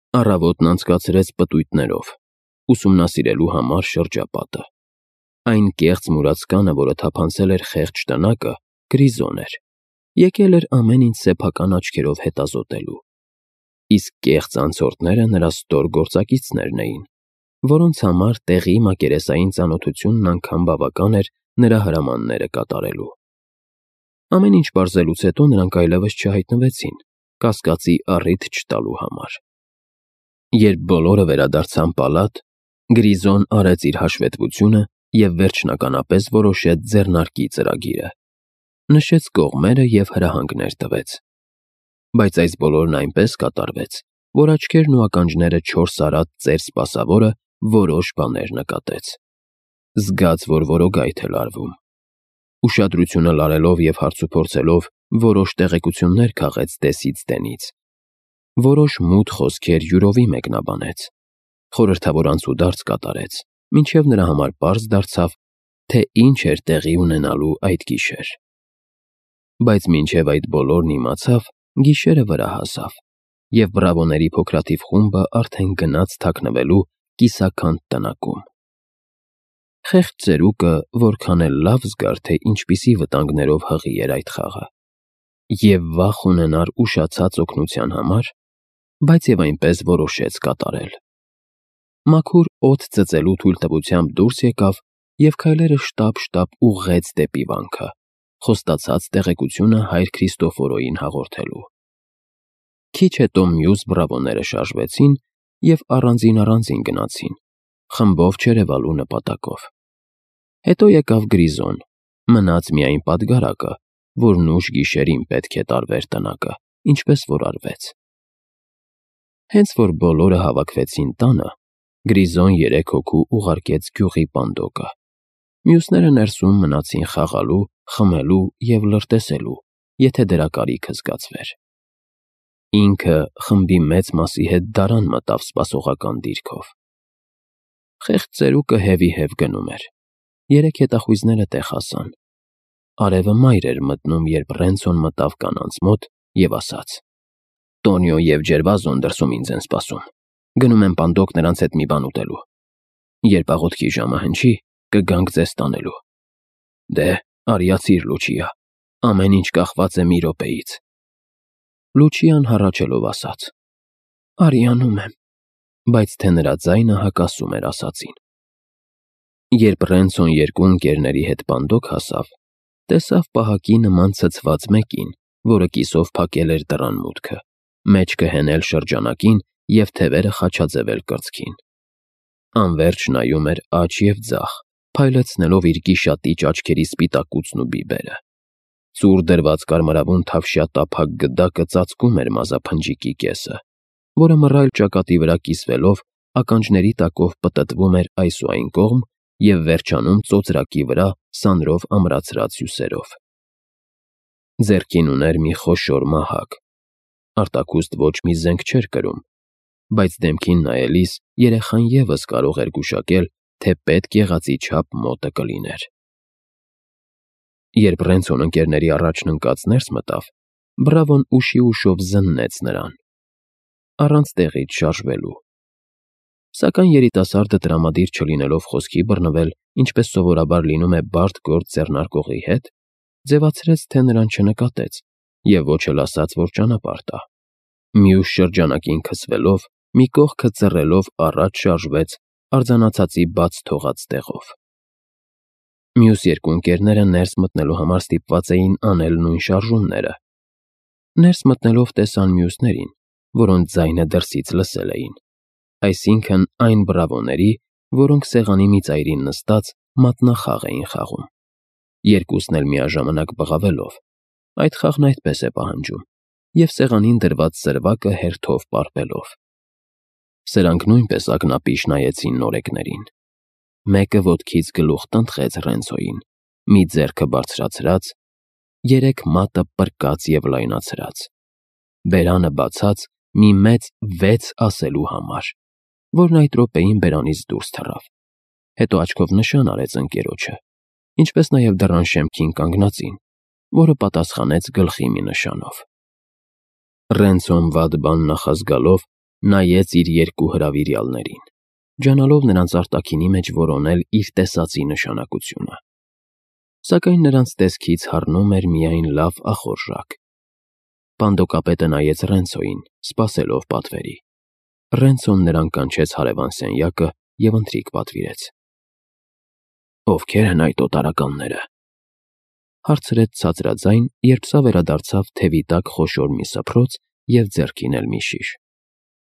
Առավոտն անցկացրեց պտույտներով, ուսումնասիրելու համար շրջապատը։ Այն կեղծ մուրացկանը, որը թափանցել էր խեղճ տնակը, Գրիզոն էր, եկել էր ամեն ինչ սեփական աչքերով հետազոտելու։ Իսկ կեղծ անցորդները նրա ստոր գործակիցներն էին, որոնց համար տեղի մակերեսային ծանոթությունն անգամ բավական էր նրա հրամանները կատարելու։ Ամեն ինչ պարզելուց հետո նրանք այլևս չհայտնվեցին, կասկածի առիթ չտալու համար։ Երբ բոլորը վերադարձան պալատ, Գրիզոն արեց իր հաշվետվությունը և վերջնականապես որոշեց ձեռնարկի ծրագիրը։ Նշեց կողմերը և հրահանգներ տվեց։ Բայց այս բոլորն այնպես կատարվեց, որ աչքերն ու ականջները չորս արած ծեր սպասավորը որոշ բաներ նկատեց։ Զգաց, որ որոգայթ է լարվում։ Ուշադրությունը լարելով և հարցուփորձելով որոշ տեղեկություններ քաղեց դեսից դենից։ Որոշ մութ խոսքեր յուրովի մեկնաբանեց։ Խորհրդավոր անցուդարձ կատարեց, մինչև նրա համար պարզ դարձավ, թե ինչ էր տեղի ունենալու այդ գիշեր։ Բայց մինչև այդ բոլորն իմացավ, գիշերը վրա հասավ, և բրավոների փոքրաթիվ խումբը արդեն գնաց թաքնվելու կիսաքանդ տնակում։ Խեղճ ծերուկը որքան էլ լավ զգար, թե ինչպիսի վտանգներով հղի էր այդ խաղը, և վախ ունենար ուշացած օգնության համար, բայց և այնպես որոշեց կատարել։ Մաքուր օդ ծծելու թույլտվությամբ դուրս եկավ և քայլերը շտապ-շտապ ուղղեց դեպի վանքը, խոստացած տեղեկությունը հայր Քրիստոֆորոյին հաղորդելու։ Քիչ հետո մյուս բրավոները շարժվեցին և առանձին գնացին, խմբով չերևալու նպատակով։ Հետո եկավ Գրիզոն, մնաց միայն պատգարակը, որն ուշ գիշերին պետք է տարվեր տնակը, ինչպես որ արվեց։ Հենց որ բոլորը հավաքվեցին տանը, Գրիզոն 3 հոգու ուղարկեց գյուղի պանդոկը։ Մյուսները ներսում մնացին խաղալու, խմելու և լրտեսելու, եթե դրա կարիքը զգացվեր։ Ինքը խմբի մեծ մասի հետ դարան մտավ սպասողական դիրքով։ Խեղճ ծերուկը հևի-հև գնում էր։ 3 հետախույզները տեղ հասան։ Արևը մայր էր մտնում, երբ Ռենցոն մտավ կանանց մոտ և ասաց. «Տոնիո և Ջերվազոն դրսում ինձ են սպասում։ Գնում եմ պանդոկ նրանց հետ մի բան ուտելու։ Երբ աղոթքի ժամը հնչի, կգանք ձեզ տանելու»։ Դե, արիացիր, Լուչիա, ամեն ինչ կախված է մի րոպեից։ Լուչիան հառաչելով ասաց. «Արի, անում եմ», բայց թե նրա ձայնը հակասում էր ասածին։ Երբ Ռենցոն 2 ընկերների հետ պանդոկ հասավ, տեսավ պահակի նման ցցված մեկին, որը կիսով փակել էր դռան մուտքը, մեջքը հենել շրջանակին և թևերը խաչաձևել կրծքին։ Անվերջ նայում էր աջ և ձախ, փայլեցնելով իր գիշատիչ աչքերի սպիտակուցն ու բիբերը։ Ծուռ դրված կարմրավուն թավշյա տափակ գդակը ծածկում էր մազափնջիկի կեսը, որը մռայլ ճակատի վրա կիսվելով ականջների տակով պտտվում էր այս ու այն կողմ և վերջանում ծոծրակի վրա սանրով ամրացրած հյուսերով։ Ձեռքին ուներ մի խոշոր մահակ։ Արտաքուստ ոչ մի զենք չէր կրում, բայց դեմքին նայելիս երեխան ևս կարող էր գուշակել, թե պետք եղածի չափ մոտը կլիներ։ Երբ Ռենցոն ընկերների առաջն ընկած ներս մտավ, բրավոն ուշի ուշով զննեց նրան, առանց տեղից շարժվելու։ Սակայն երիտասարդը տրամադիր չլինելով խոսքի բռնվել, ինչպես սովորաբար լինում է բարդ գործ ձեռնարկողի հետ, ձևացրեց, թե նրան չնկատեց և ոչ էլ ասաց, որ ճանապարհ տա։ Մյուս շրջանակին քսվելով, մի կողքը ծռելով առաջ շարժվեց արձանացածի բաց թողած տեղով։ Մյուս 2 ընկերները ներս մտնելու համար ստիպված էին անել նույն շարժումները։ Ներս մտնելով տեսան մյուսներին, որոնց ձայնը դրսից լսել էին, այսինքն այն բրավոների, որոնք սեղանի մի ծայրին նստած մատնախաղ էին խաղում, երկուսն էլ միաժամանակ բղավելով։ Այդ խաղն այդպես է պահանջում, և սեղանին դրված սրվակը հերթով պարպելով։ Սրանք նույնպես ակնապիշ նայեցին նորեկներին։ Մեկը ոտքից գլուխ տնտղեց Ռենցոյին, մի ձեռքը բարձրացրած, 3 մատը պրկած և լայնացրած, բերանը բացած մի մեծ 6 ասելու համար, որն այդ րոպեին բերանից դուրս թռավ։ Հետո աչքով նշան արեց ընկերոջը, ինչպես նաև դռան շեմքին կանգնածին, որը պատասխանեց գլխի մի նշանով։ Ռենցոն վատ բան նախազգալով Նայեց իր երկու հրավիրյալներին, ջանալով նրանց արտաքինի մեջ որոնել իր տեսածի նշանակությունը։ Սակայն նրանց տեսքից հառնում էր միայն լավ ախորժակ։ Պանդոկապետը նայեց Ռենցոյին, սպասելով պատվերի։ Ռենցոն նրան կանչեց հարևան սենյակը և ընթրիք պատվիրեց։ «Ովքեր են այդ օտարականները», հարցրեց ցածրաձայն, երբ սա վերադարձավ թևի տակ խոշոր մի սփռոց և ձեռքին էլ մի շիշ։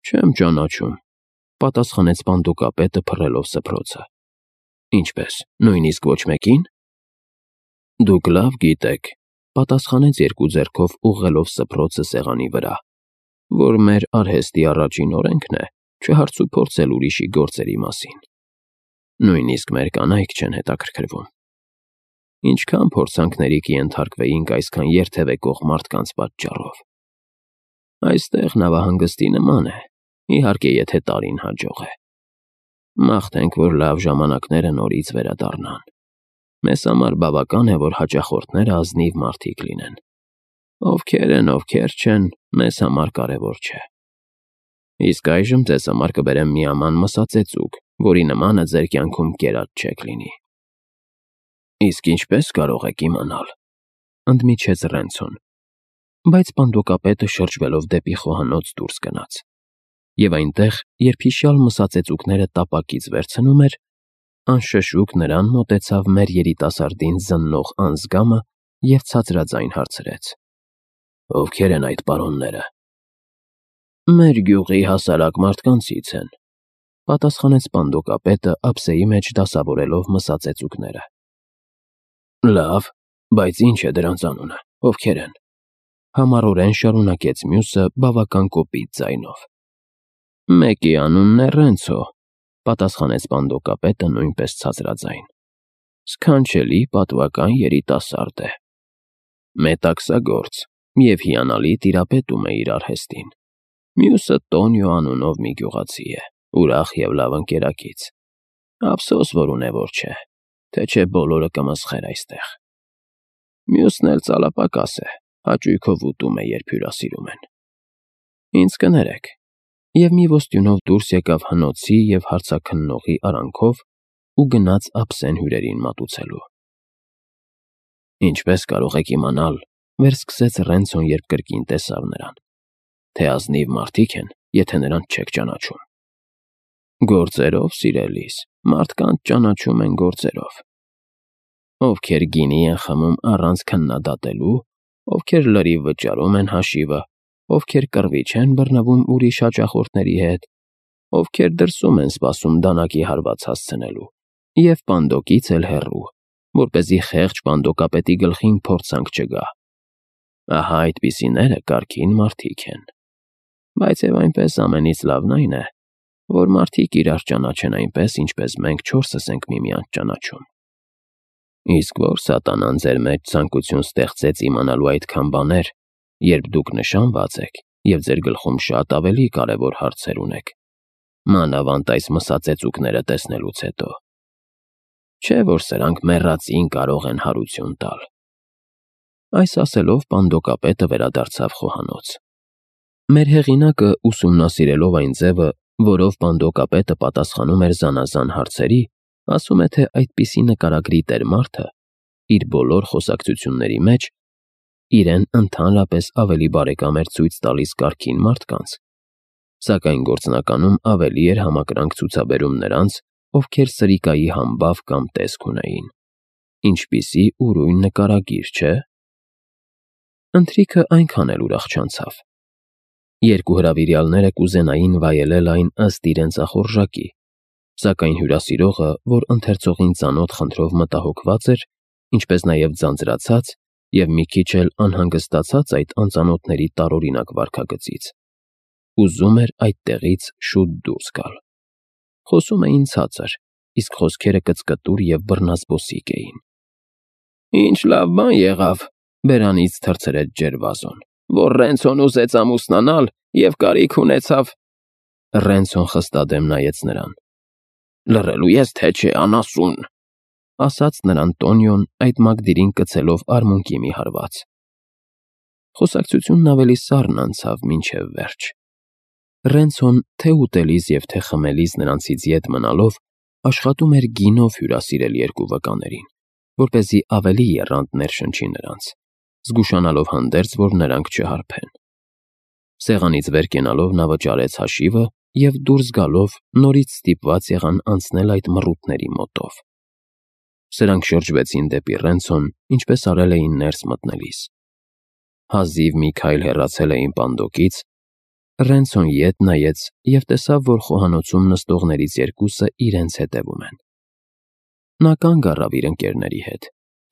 «Չեմ ճանաչում», պատասխանեց պանդոկապետը փռելով սփռոցը։ «Ինչպես, նույնիսկ ոչ մեկին»։ «Դուք լավ գիտեք», պատասխանեց երկու ձեռքով ուղղելով սփռոցը սեղանի վրա, «որ մեր արհեստի առաջին օրենքն է չհարցուփորձել ուրիշի գործերի մասին։ Նույնիսկ մեր կանայք չեն հետաքրքրվում։ Ինչքան փորձանքների կենթարկվեինք այսքան երթևեկող մարդկանց պատճառով։ Այստեղ նավահանգստի նման է, իհարկե եթե տարին հաջող է։ Մաղթենք, որ լավ ժամանակները նորից վերադառնան։ Մեզ համար բավական է, որ հաճախորդները ազնիվ մարդիկ լինեն։ Ովքեր են, ովքեր չեն, մեզ համար կարևոր չէ։ Իսկ այժմ ձեզ համար կբերեմ մի աման մսածեցուկ, որի նմանը ձեր կյանքում կերած չեք լինի»։ «Իսկ ինչպես կարող եք իմանալ», ընդմիջեց Ռենցոն, բայց պանդոկապետը շրջվելով դեպի խոհանոց դուրս գնաց։ Եվ այնտեղ, երբ հիշյալ մսածեցուկները տապակից վերցնում էր, անշշուկ նրան մոտեցավ մեր երիտասարդին զննող անձգամը և ցածրաձայն հարցրեց. «Ովքեր են այդ պարոնները»։ «Մեր գյուղի հասարակ մարդկանցից են», պատասխանեց պանդոկապետը ափսեի մեջ դասավորելով մսածեցուկները։ «Լավ, բայց ինչ է դրանց անունը, ովքեր են»։ Համառորեն շարունակեց մյուսը բավական կոպիտ ձայնով։ «Մեկի անունն է Ռենցո», պատասխանեց պանդոկապետը նույնպես ցածրաձայն։ «Սքանչելի պատվական երիտասարդ է։ Մետաքսագործ և հիանալի տիրապետում է իր արհեստին։ Մյուսը Տոնիո անունով մի գյուղացի է, ուրախ և լավ ընկերակից։ Ափսոս, որ ունևոր չէ, թե չէ բոլորը կմսխեր այստեղ։ Մյուսն էլ ծալապակաս է, հաճույքով ուտում է, երբ հյուրասիրում են։ Ինձ կներեք»։ Եվ մի ոստյունով դուրս եկավ հնոցի և հարցաքննողի արանքով ու գնաց ափսեն հյուրերին մատուցելու։ «Ինչպես կարող եք իմանալ», վերսկսեց Ռենցոն, երբ կրկին տեսավ նրան, «թե ազնիվ մարդիկ են, եթե նրանց չեք ճանաչում»։ «Գործերով, սիրելիս, մարդկանց ճանաչում են գործերով։ Ովքեր գինի են խմում առանց քննադատելու, ովքեր լրիվ վճարում են հաշիվը, ովքեր կռվի չեն բռնվում ուրիշ հաճախորդների հետ, ովքեր դրսում են սպասում դանակի հարված հասցնելու, և պանդոկից էլ հեռու, որպեսզի խեղճ պանդոկապետի գլխին փորձանք չգա։ Ահա այդպիսիները կարգին մարդիկ են։ Բայց և այնպես ամենից լավն այն է, որ մարդիկ իրար ճանաչեն այնպես, ինչպես մենք չորսս ենք միմյանց ճանաչում։ Իսկ որ սատանան ձեր մեջ ցանկություն ստեղծեց իմանալու այդքան բաներ, երբ դուք նշանված եք և ձեր գլխում շատ ավելի կարևոր հարցեր ունեք, մանավանդ այս մսածեցուկները տեսնելուց հետո։ Չէ՞ որ սրանք մեռածին կարող են հարություն տալ»։ Այս ասելով պանդոկապետը վերադարձավ խոհանոց։ Մեր հեղինակը, ուսումնասիրելով այն ձևը, որով պանդոկապետը պատասխանում էր զանազան հարցերի, ասում է, թե այդպիսի նկարագրի տեր մարդը իր բոլոր խոսակցությունների մեջ իրեն ընդհանրապես ավելի բարեկամ էր ցույց տալիս կարգին մարդկանց, սակայն գործնականում ավելի էր համակրանք ցուցաբերում նրանց, ովքեր սրիկայի համբավ կամ տեսք ունեին։ Ինչպիսի ուրույն նկարագիր, չէ՞։ Ընթրիքը այնքան էլ ուրախ չանցավ։ Երկու հրավիրյալները կուզենային վայելել այն ըստ իրենց ախորժակի, սակայն հյուրասիրողը, որ ընթերցողին ծանոթ խնդրով մտահոգված էր, ինչպես նաև ձանձրացած և մի քիչ էլ անհանգստացած այդ անծանոթների տարօրինակ վարքագծից, ուզում էր այդտեղից շուտ դուրս գալ։ Խոսում էին ցածր, իսկ խոսքերը կծկտուր և բռնազբոսիկ էին։ «Ինչ լավ բան եղավ», բերանից թռցրեց Ջերվազոն, «որ Ռենցոն ուզեց ամուսնանալ և կարիք ունեցավ»։ Ռենցոն խստադեմ նայեց նրան։ «Լռելու ես, թե չէ, անասուն», ասաց նրան Տոնիոն, այդ մակդիրին կցելով արմունկի մի հարված։ Խոսակցությունն ավելի սառն անցավ մինչև վերջ։ Ռենցոն թե ուտելիս և թե խմելիս նրանցից ետ մնալով աշխատում էր գինով հյուրասիրել երկու վկաներին, որպեսզի ավելի եռանդ ներշնչի նրանց, զգուշանալով հանդերձ, որ նրանք չհարբեն։ Սեղանից վեր կենալով նա վճարեց հաշիվը և դուրս գալով նորից ստիպված եղան անցնել այդ մռութների մոտով։ Սրանք շրջվեցին դեպի Ռենցոն, ինչպես արել էին ներս մտնելիս։ Հազիվ մի քայլ հեռացել էին պանդոկից, Ռենցոն ետ նայեց և տեսավ, որ խոհանոցում նստողներից երկուսը իրենց հետևում են։ Նա կանգ առավ իր ընկերների հետ,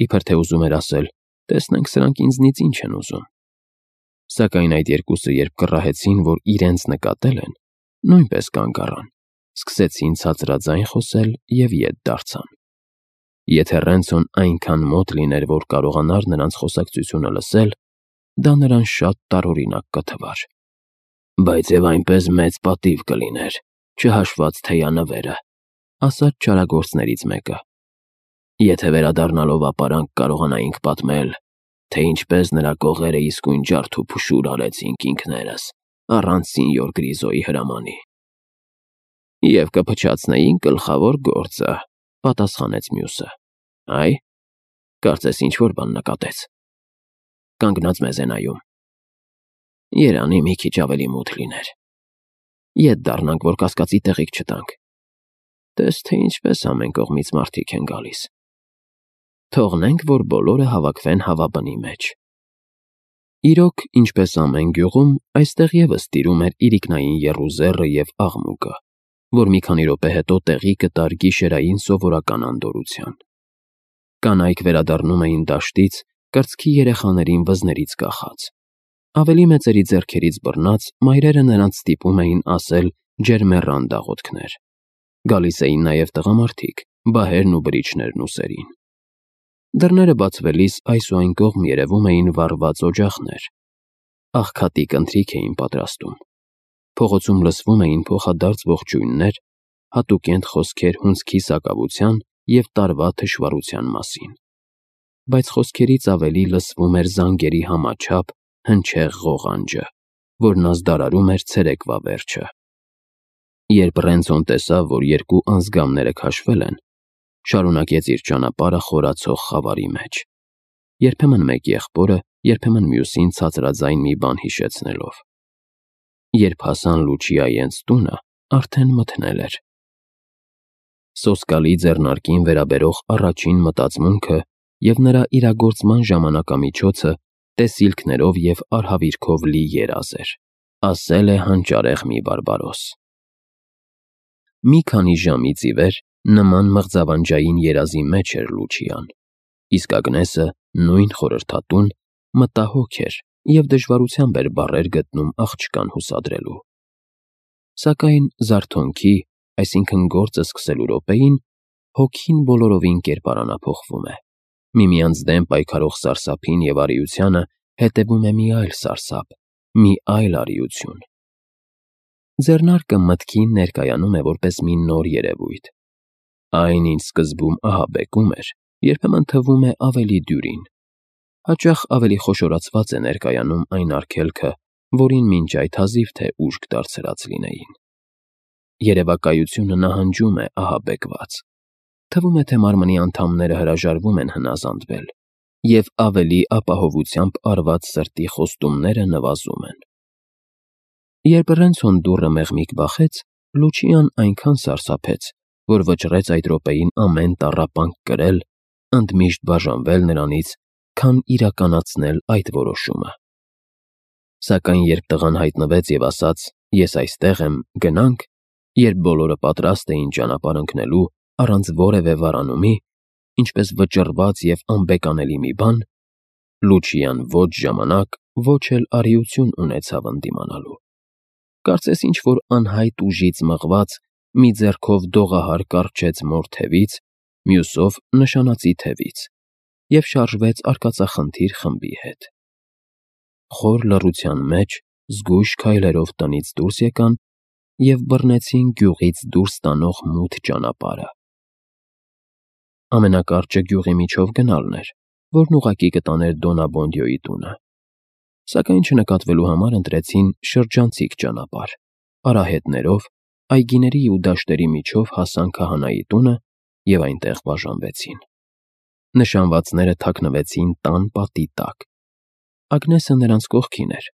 իբր թե ուզում էր ասել. «Տեսնենք սրանք ինձնից ինչ են ուզում»։ Սակայն այդ երկուսը, երբ կռահեցին, որ իրենց նկատել են, նույնպես կանգ առան, սկսեցին ցածրաձայն խոսել և ետ դարձան։ Եթե Ռենցոն այնքան մոտ լիներ, որ կարողանար նրանց խոսակցությունը լսել, դա նրան շատ տարօրինակ կթվար։ «Բայց և այնպես մեծ պատիվ կլիներ, չհաշված թեյանվերը», ասաց չարագործներից մեկը։ «Եթե վերադառնալով ապարանք կարողանայինք պատմել, թե ինչպես նրա կողերը իսկույն ջարդ ու փշուր արեցինք ինքներս, առանց սինյոր Գրիզոյի հրամանի»։ «Եվ կփչացնեինք գլխավոր գործը», պատասխանեց մյուսը։ «Այ, կարծես ինչ-որ բան նկատեց»։ Կանգնած մեզ է նայում։ «Երանի մի քիչ ավելի մութ լիներ։ Ետ դառնանք, որ կասկածի տեղիք չտանք։ Տես թե ինչպես ամեն կողմից մարդիկ են գալիս։ Թողնենք, որ բոլորը հավաքվեն հավաբնի մեջ»։ Իրոք, ինչպես ամեն գյուղում, այստեղ ևս տիրում էր իրիկնային եռուզեռը և աղմուկը, որ մի քանի րոպե հետո տեղի կտար գիշերային սովորական անդորրության։ Կանայք վերադառնում էին դաշտից, կրծքի երեխաներին վզներից կախած։ Ավելի մեծերի ձեռքերից բռնած, մայրերը նրանց ստիպում էին ասել ջերմեռան դաղոթքներ։ Գալիս էին նաև տղամարդիկ, բահերն ու բրիչներն ուսերին։ Դռները բացվելիս այս ու այն կողմ երևում էին վառված օջախներ։ Աղքատիկ ընթրիք էին պատրաստում։ Փողոցում լսվում էին փոխադարձ ողջույններ, հատուկենտ խոսքեր հունձքի սակավության և տարվա թշվառության մասին։ Բայց խոսքերից ավելի լսվում էր զանգերի համաչափ, հնչեղ ղողանջը, որն ազդարարում էր ցերեկվա վերջը։ Երբ Ռենցոն տեսավ, որ երկու անձգամները քաշվել են, շարունակեց իր ճանապարհը խորացող խավարի մեջ, երբեմն մեկ եղբորը, երբեմն մյուսին ցածրաձայն մի բան հիշեցնելով։ Երբ հասան Լուչիայի հենց տունը, արդեն մթնել էր։ Սոսկալի ձեռնարկին վերաբերող առաջին մտածմունքը և նրա իրագործման ժամանակամիջոցը տեսիլքներով և արհավիրքով լի երազ էր, ասել է հանճարեղ մի բարբարոս։ Մի քանի ժամից ի վեր նման մղձավանջային երազի մեջ էր Լուչիան, իսկ Ագնեսը, նույն խորհրդատուն, մտահոգ էր և դժվարությամբ էր բառեր գտնում աղջկան հուսադրելու։ Սակայն զարթոնքի, այսինքն գործը սկսելու րոպեին, հոգին բոլորովին կերպարանափոխվում է։ Միմյանց դեմ պայքարող սարսափին և արիությանը հետևում է մի այլ սարսափ, մի այլ արիություն։ Ձեռնարկը մտքին ներկայանում է որպես մի նոր երևույթ։ Այն, ինչ սկզբում ահաբեկում էր, երբեմն թվում է ավելի դյուրին։ Հաճախ ավելի խոշորացված է ներկայանում այն արգելքը, որին մինչ այդ հազիվ թե ուժգ դարձրած լինեին։ Երևակայությունը նահանջում է ահաբեկված։ Թվում է, թե մարմնի անդամները հրաժարվում են հնազանդվել, և ավելի ապահովությամբ արված սրտի խոստումները նվազում են։ Երբ Ռենցոն դուռը մեղմիկ բախեց, Լուչիան այնքան սարսափեց, որ վճռեց այդ րոպեին ամեն տառապանք կրել, ընդմիշտ բաժանվել նրանից, քան իրականացնել այդ որոշումը։ Սակայն երբ տղան հայտնվեց և ասաց. «Ես այստեղ եմ, գնա՞նք», երբ բոլորը պատրաստ էին ճանապարհ ընկնելու առանց որևէ վարանումի, ինչպես վճռված և անբեկանելի մի բան, Լուչիան ոչ ժամանակ, ոչ էլ արիություն ունեցավ ընդդիմանալու։ Կարծես ինչ-որ անհայտ ուժից մղված, մի ձեռքով դողահար կառչեց մոր թևից, մյուսով նշանածի թևից և շարժվեց արկածախնդիր խմբի հետ։ Խոր լռության մեջ զգույշ քայլերով տնից դուրս եկան և բռնեցին գյուղից դուրս տանող մութ ճանապարհը։ Ամենակարճը գյուղի միջով գնալն էր, որն ուղղակի կտաներ Դոնաբոնդյոյի տունը։ Սակայն չնկատվելու համար ընտրեցին շրջանցիկ ճանապարհ, արահետներով, այգիների ու դաշտերի միջով հասան քահանայի տունը և այնտեղ բաժանվեցին։ Նշանվածները թաքնվեցին տան պատի տակ։ Ագնեսը նրանց կողքին էր,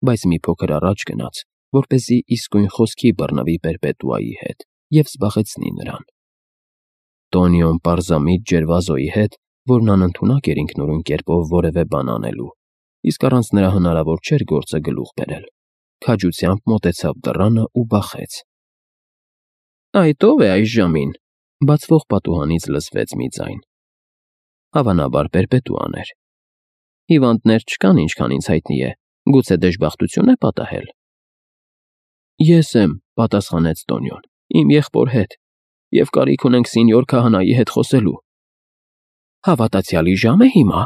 բայց մի փոքր առաջ գնաց, որպեսզի իսկույն խոսքի բռնվի Պերպետուայի հետ և զբաղեցնի նրան։ Տոնիոն պարզամիտ ջերվազոյի հետ, որն անընդունակ էր ինքնուրույն կերպով որևէ բան անելու, իսկ առանց նրա հնարավոր չէր գործը գլուխ բերել, քաջությամբ մոտեցավ դռանը ու բախեց։ «Այդ ո՞վ է այս ժամին»։ Բացվող պատուհանից լսվեց մի ձայն։ Հավանաբար Պերպետուան էր։ «Հիվանդներ չկան, ինչքան ինձ հայտնի է, գուցե դժբախտություն է պատահել»։ «Ես եմ», պատասխանեց Տոնիոն, «իմ եղբոր հետ, և կարիք ունենք սենյոր քահանայի հետ խոսելու»։ «Հավատացյալի ժամ է հիմա»,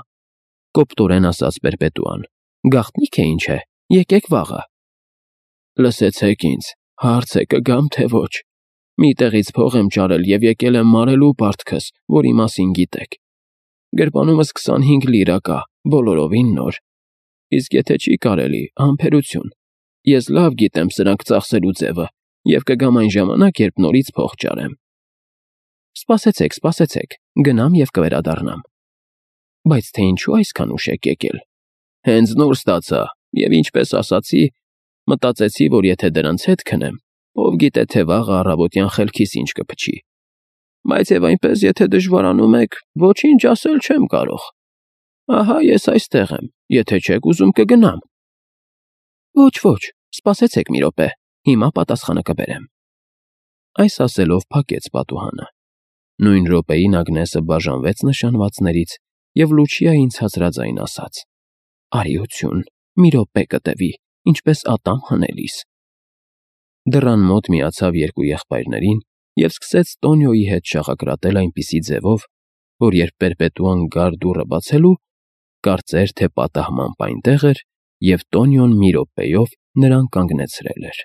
կոպտորեն ասաց Պերպետուան, «գաղտնիք է ինչ է, եկեք վաղը»։ «Լսեցեք ինձ, հարց է կգամ, թե ոչ։ Մի տեղից փող եմ ճարել և եկել եմ մարելու պարտքս, որի մասին գիտեք։ Գրպանումս 25 լիրա կա, բոլորովին նոր։ Իսկ եթե չի կարելի, համբերություն։ Ես լավ գիտեմ սրանք ծախսելու ձևը և կգամ այն ժամանակ, երբ նորից փող ճարեմ»։ Սպասեցեք, գնամ և կվերադառնամ։ «Բայց թե ինչու այսքան ուշ եք եկել»։ «Հենց նոր ստացա, և ինչպես ասացի, մտածեցի, որ եթե դրանց հետ քնեմ, ով գիտե թե վաղը առավոտյան խելքիս ինչ կփչի։ Բայց և այնպես, եթե դժվարանում եք, ոչինչ ասել չեմ կարող։ Ահա ես այստեղ եմ, եթե չեք ուզում կգնամ»։ Ոչ, սպասեցեք մի րոպե, հիմա պատասխանը կբերեմ։ Այս ասելով փակեց պատուհանը։ Նույն րոպեին Ագնեսը բաժանվեց նշանվածներից և Լուչիային ցածրաձայն ասաց. «Արիություն, մի րոպե կտևի, ինչպես ատամ հանելիս»։ Դռան մոտ միացավ երկու եղբայրներին և սկսեց Տոնիոյի հետ շաղակրատել այնպիսի ձևով, որ երբ Պերպետուան գար դուռը բացելու, կարծեր, թե պատահմամբ այնտեղ էր և Տոնիոն մի րոպեով նրան կանգնեցրել էր։